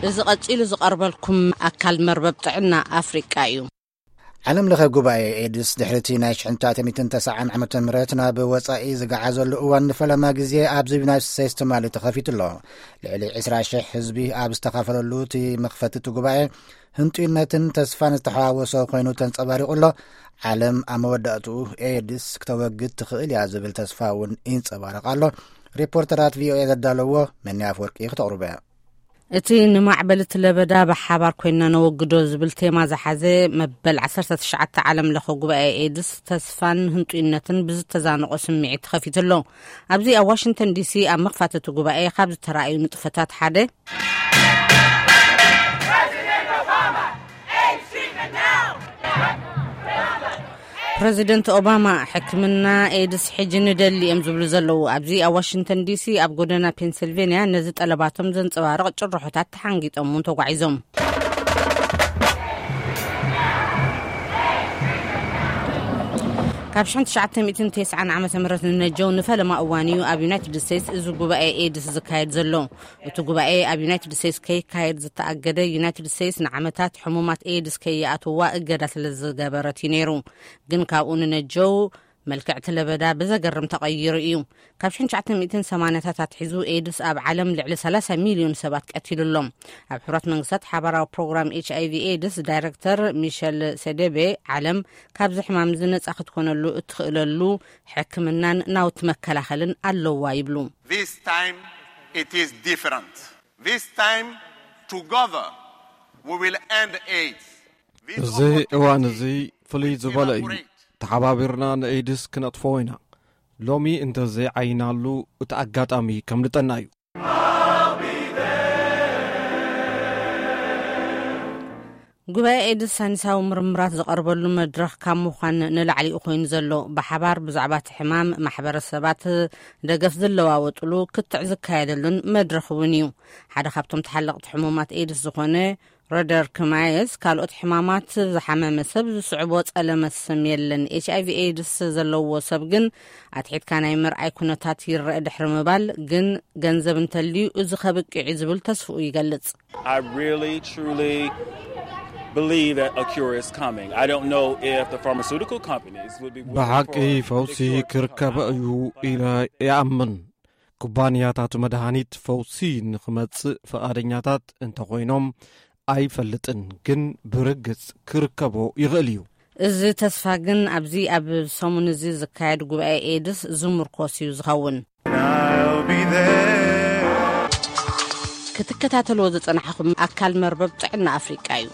እዚ ቀጺሉ ዝቐርበልኩም ኣካል መርበብ ጥዕና ኣፍሪቃ እዩ። ዓለም ለኸ ጉባኤ ኤድስ ድሕሪቲ ናይ ሽሕንታተሚትን ተስዓን ዓመተ ምህረት ናብ ወጻኢ ዝገዓዘሉ እዋን ንፈለማ ግዜ ኣብዚ ዩናይትድ ስቴትስ ትማሊ ተኸፊቱ ኣሎ። ልዕሊ ዕስራ ሽሕ ህዝቢ ኣብ ዝተኻፈለሉ እቲ መኽፈቲ እቲ ጉባኤ ህንጡይነትን ተስፋን ዝተሓዋወሶ ኮይኑ ተንጸባሪቑ ኣሎ። ዓለም ኣብ መወዳእትኡ ኤድስ ክተወግድ ትኽእል እያ ዝብል ተስፋ እውን ይንጸባረቕ ኣሎ። ሪፖርተራት ቪኦኤ ዘዳለዎ መኒ ኣፍወርቂ ክተቕርቦ እያ። እቲ ንማዕበል እቲ ለበዳ ብሓባር ኮይንና ነወግዶ ዝብል ቴማ ዝሓዘ መበል ዓሰርተ ትሽዓተ ዓለም ለኸ ጉባኤ ኤድስ ተስፋን ህንጡይነትን ብዝተዛነቖ ስምዒት ተኸፊቱ ኣሎ። ኣብዚ ኣብ ዋሽንግተን ዲሲ ኣብ መኽፋት እቲ ጉባኤ ካብ ዝተራእዩ ንጥፈታት ሓደ ፕረዚደንት ኦባማ ሕክምና ኤድስ ሕጂ ንደሊ እዮም ዝብሉ ዘለዉ። ኣብዚ ኣብ ዋሽንግተን ዲሲ ኣብ ጎደና ፔንሲልቬንያ ነዚ ጠለባቶም ዘንጸባርቕ ጭርሖታት ተሓንጊጦም እውን ተጓዒዞም። ካብ ሽሕን ትሽዓተ ሚእትን ተስዓን ዓመተ ምህረት ንነጀው ንፈለማ እዋን እዩ ኣብ ዩናይትድ ስቴትስ እዚ ጉባኤ ኤድስ ዝካየድ ዘሎ። እቲ ጉባኤ ኣብ ዩናይትድ ስቴትስ ከይካየድ ዝተኣገደ ዩናይትድ ስቴትስ ንዓመታት ሕሙማት ኤድስ ከይኣትዋ እገዳ ስለ ዝገበረት እዩ ነይሩ። ግን ካብኡ ንነጀው መልክዕ እቲ ለበዳ ብዘገርም ተቐይሩ እዩ። ካብ ሽሕን ትሽዓተ ሚእትን ሰማንያታት ኣትሒዙ ኤድስ ኣብ ዓለም ልዕሊ ሰላሳ ሚልዮን ሰባት ቀቲሉ ኣሎ። ኣብ ሕቡራት መንግስታት ሓባራዊ ፕሮግራም ኤች ኣይ ቪ ኤድስ ዳይረክተር ሚሸል ሴዴቤ ዓለም ካብዚ ሕማም እዚ ነጻ ክትኮነሉ እትኽእለሉ ሕክምናን ናውቲ መከላኸልን ኣለዋ ይብሉ። This time it is different. This time together we will end AIDS. This እዚ እዋን opportunity እዚ ፍሉይ will ዝበለ እዩ። Evaporate. ተሓባቢርና ንኤድስ ክነጥፍኦ ኢና። ሎሚ እንተዘይዓይናሉ እቲ ኣጋጣሚ ከምልጠና እዩ። ጉባኤ ኤድስ ሳይንሳዊ ምርምራት ዝቐርበሉ መድረኽ ካብ ምዃን ንላዕሊ እዩ ኮይኑ ዘሎ። ብሓባር ብዛዕባ እቲ ሕማም ማሕበረሰባት ደገፍ ዝለዋወጥሉ ክትዕ ዝካየደሉን መድረኽ እውን እዩ። ሓደ ካብቶም ተሓለቕቲ ሕሙማት ኤድስ ዝኾነ ሮደር ክማየስ ካልኦት ሕማማት ዝሓመመ ሰብ ዝስዕቦ ጸለመ ስም የለን። ኤች ኣይ ቪ ኤድስ ዘለዎ ሰብ ግን ኣትሒትካ ናይ ምርኣይ ኩነታት ይረአ ድሕሪ ምባል ግን ገንዘብ እንተልዩ እዚ ከብቅዕ እዩ ዝብል ተስፍኡ ይገልጽ። I really, truly believe that a cure is coming. I don't know if the pharmaceutical companies would be willing ብሓቂ for the ፈውሲ cure to ክርከብ come out እዩ ኢለ ይኣምን። ኩባንያታት መድሃኒት ፈውሲ ንኽመጽእ ፍቓደኛታት እንተኾይኖም ኣይፈልጥን፣ ግን ብርግጽ ክርከቦ ይኽእል እዩ። እዚ ተስፋ ግን ኣብዚ ኣብ ሰሙን እዚ ዝካየድ ጉባኤ ኤድስ ዝምርኮስ እዩ ዝኸውን። I'll be there. ክትከታተልዎ ዝጸናሕኹም ኣካል መርበብ ጥዕና ኣፍሪቃ እዩ።